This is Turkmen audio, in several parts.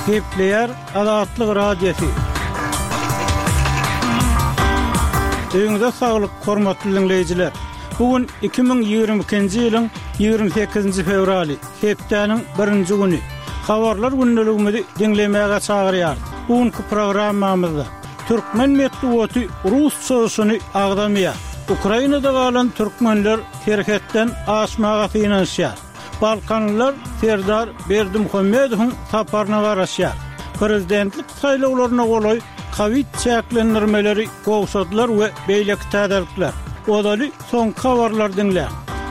Gepleýär Azatlyk Radiosy. Öýüňize saglyk, hormatly diňleýjiler! Bu gün 2022-nji ýylyň 28-nji fewraly, hepdäniň birinji güni. Habarlar gündeligimizi diňlemäge çagyrýarys. Bu günki programmamyzda türkmen metbugaty rus çozuşyny agzamaýar. Ukrainada galan türkmenler serhetden aşmaga synanyşýar. Balkanlylar Serdar Berdimuhamedowyň saparyna garaşýar. Prezidentlik saýlawlaryna golaý kowid çäklendirmeleri gowşadylar we beýleki täzelikler. Ozaly soňky habarlary diňläň.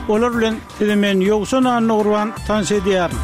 Olar bilen sizi men Ýowşan Annagurban tanyş edýärin.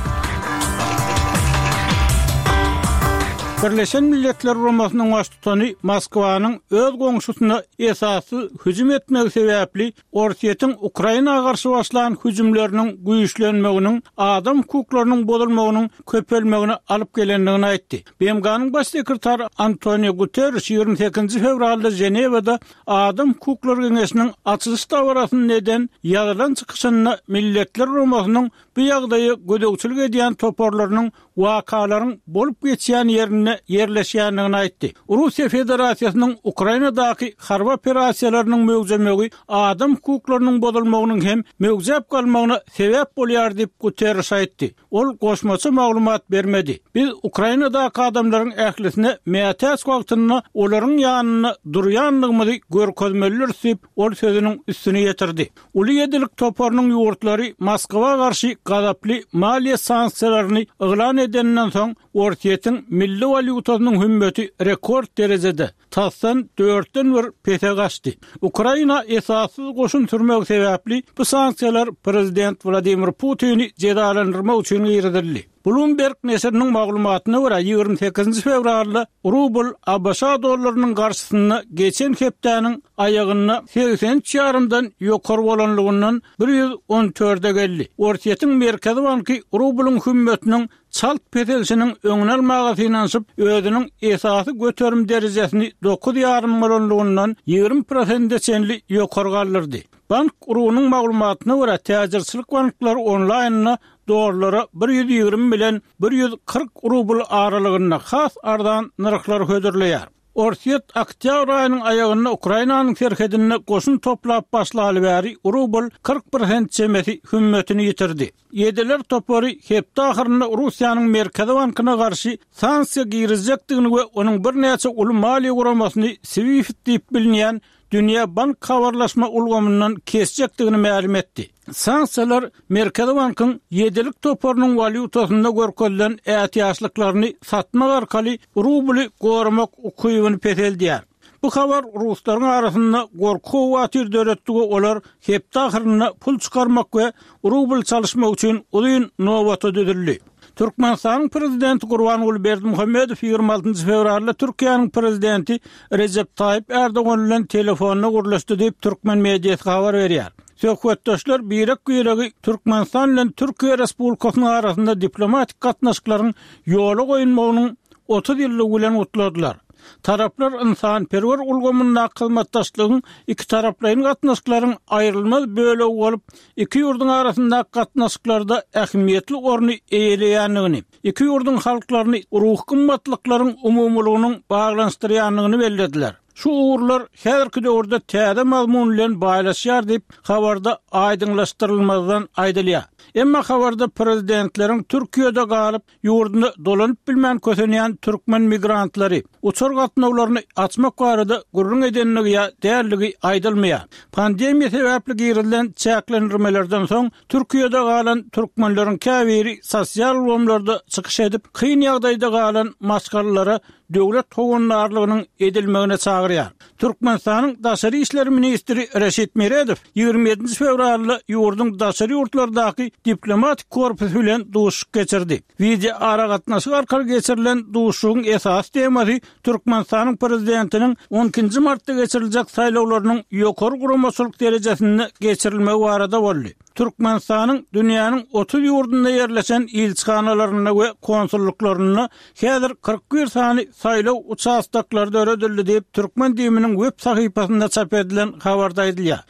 Birleşen Milletler Guramasynyň baştutany Moskwanyň öz goňşusyna esassyz hüjüm etmegi sebäpli Orsýetiň Ukraina garşy başlan hüjümleriniň güýçlenmeginiň adam hukuklarynyň bozulmagynyň köpelmegine alyp gelendigini aýtdy. BMG-niň Baş sekretary Antonio Guterriş 28-nji fewralda Ženewada Adam hukuklary geňeşiniň açylyş dabarasynda eden ýazylan çykyşynda Milletler Guramasynyň bu ýagdaýa gözegçilik edýän toparlarynyň wakalaryň bolup geçýän ýerinde ýerleşýändigini aýtdy. Russiýa Federasiýasynyň Ukrainadaky harby operasiýalarynyň möwjemegi adam hukuklarynyň bozulmagynyň hem möwjäp galmagyna sebäp bolýar diýip, Guterriş aýtdy. Ol goşmaça maglumat bermedi. Biz Ukrainadaky adamlaryň ählisine mätäç wagtynda olaryň ýanynda durýandygymyzy görkezmelidiris diýip, ol sözüniň üstüni ýetirdi. Uly ýedilik toparynyň ýurtlary Moskwa garşy gazaply maliýe sanksiýalaryny yglan edeninden soň, Orsýetiň milli walýutasynyň hümmeti rekord derejede, tasdan dörtden bir pese gaçdy. Ukraina esassyz goşun sürmegi sebäpli bu sanksiýalar prezident Wladimir Putini jezalandyrmak üçin girizildi. Bloomberg neşiriniň maglumatyna görä, 28-nji fewralda rubl ABŞ dollarynyň garşysynda geçen hepdäniň aýagynda 83 ýarymdan ýokary bolanlygyndan 114-e geldi. Orsýetiň Merkezi banky rublyň hümmetiniň çalt peselişiniň öňüni almaga synanyşyp, özüniň esasy göterim derejesini dokuz ýarym bolanlygyndan 20 prosente çenli ýokary galdyrdy. Bank RU-nyň maglumatyna görä, täjirçilik banklary onlaýnda dollara 120 bilen 140 rubl aralygynda has arzan nyrhlary hödürleýär. Orsýet oktýabr aýynyň aýagynda Ukrainanyň serhedinde goşun toplap başlaly bäri rubl 40 prosent çemesi hümmetini ýitirdi. Ýediler topary hepde ahyrynda Russiýanyň Merkezi bankyna garşy sanksiýa girizjekdigini we onuň birnäçe uly maliýe guramasyny SWIFT diýip bilinýän dünýä bank habarlaşma ulgamyndan kesjekdigini mälim etdi. Sanksiýalar Merkezi bankyň ýedilik toparynyň walýutasynda görkezilen ätiýaçlyklaryny satmak arkaly rubly goramak ukybyny peseldýär. Bu habar ruslaryň arasynda gorky-howatyr döretdi we olar hepde ahyrynda pul çykarmak we rubl çalyşmak üçin uzyn nobata düzüldi. Türkmenistanyň Prezidenti Gurbanguly Berdimuhamedow 26 fewralda Türkiýäniň Prezidenti Rejep Taýyp Ärdogan bilen telefonda gürleşdi diýip, türkmen mediasy habar berýär. Söhbetdeşler birek-biregi Türkmenistan bilen Türkiýe Respublikasynyň arasynda diplomatik gatnaşyklaryň ýola goýulmagynyň 30 ýyllygy bilen gutladylar. Taraplar ynsanperwer ulgamyndaky hyzmatdaşlygyň ikitaraplaýyn gatnaşyklaryň aýrylmaz bölegi bolup, iki ýurduň arasyndaky gatnaşyklarda ähmiýetli orny eýeleýändigini, iki ýurduň halklaryny ruhy gymmatlyklaryň umumylygynyň baglanyşdyrýandygyny bellediler. Şu ugurlar häzirki döwürde täze mazmun bilen baýlaşýar diýip, habarda aýdyňlaşdyrylmazdan aýdylýar. Emma habarda prezidentleriň Türkiýede galyp, ýurduna dolanyp bilmän kösenýän türkmen migrantlary, uçar gatnawlaryny açmak barada gürrüň edendigi ýa däldigi aýdylmaýar. Pandemiýa sebäpli girizilen çäklendirmelerden soň, Türkiýede galan türkmenleriň käbiri sosial ulgamlarda çykyş edip, kyn ýagdaýda galan maşgalalara döwlet howandarlygynyň edilmegine çagyrýar. Türkmenistanyň daşary işler ministri Reşit Meredow 27 fewralda ýurduň daşary ýurtlardaky diplomatik korpusy bilen duşuşyk geçirdi. Wideoaragatnaşyk arkaly geçirilen duşuşygyň esasy temasy Türkmenistanyň Prezidentiniň 12-nji martda geçiriljek saýlawlarynyň ýokary guramaçylyk derejesinde geçirilmegi barada boldy. Türkmenistanyň dünýäniň 30 ýurdunda ýerleşen ilçihanalarynda we konsullyklarynda häzir 41 sany saýlaw uçastoklary döredildi diýip, türkmen DIM-niň web sahypasynda çap edilen habarda aýdylýar.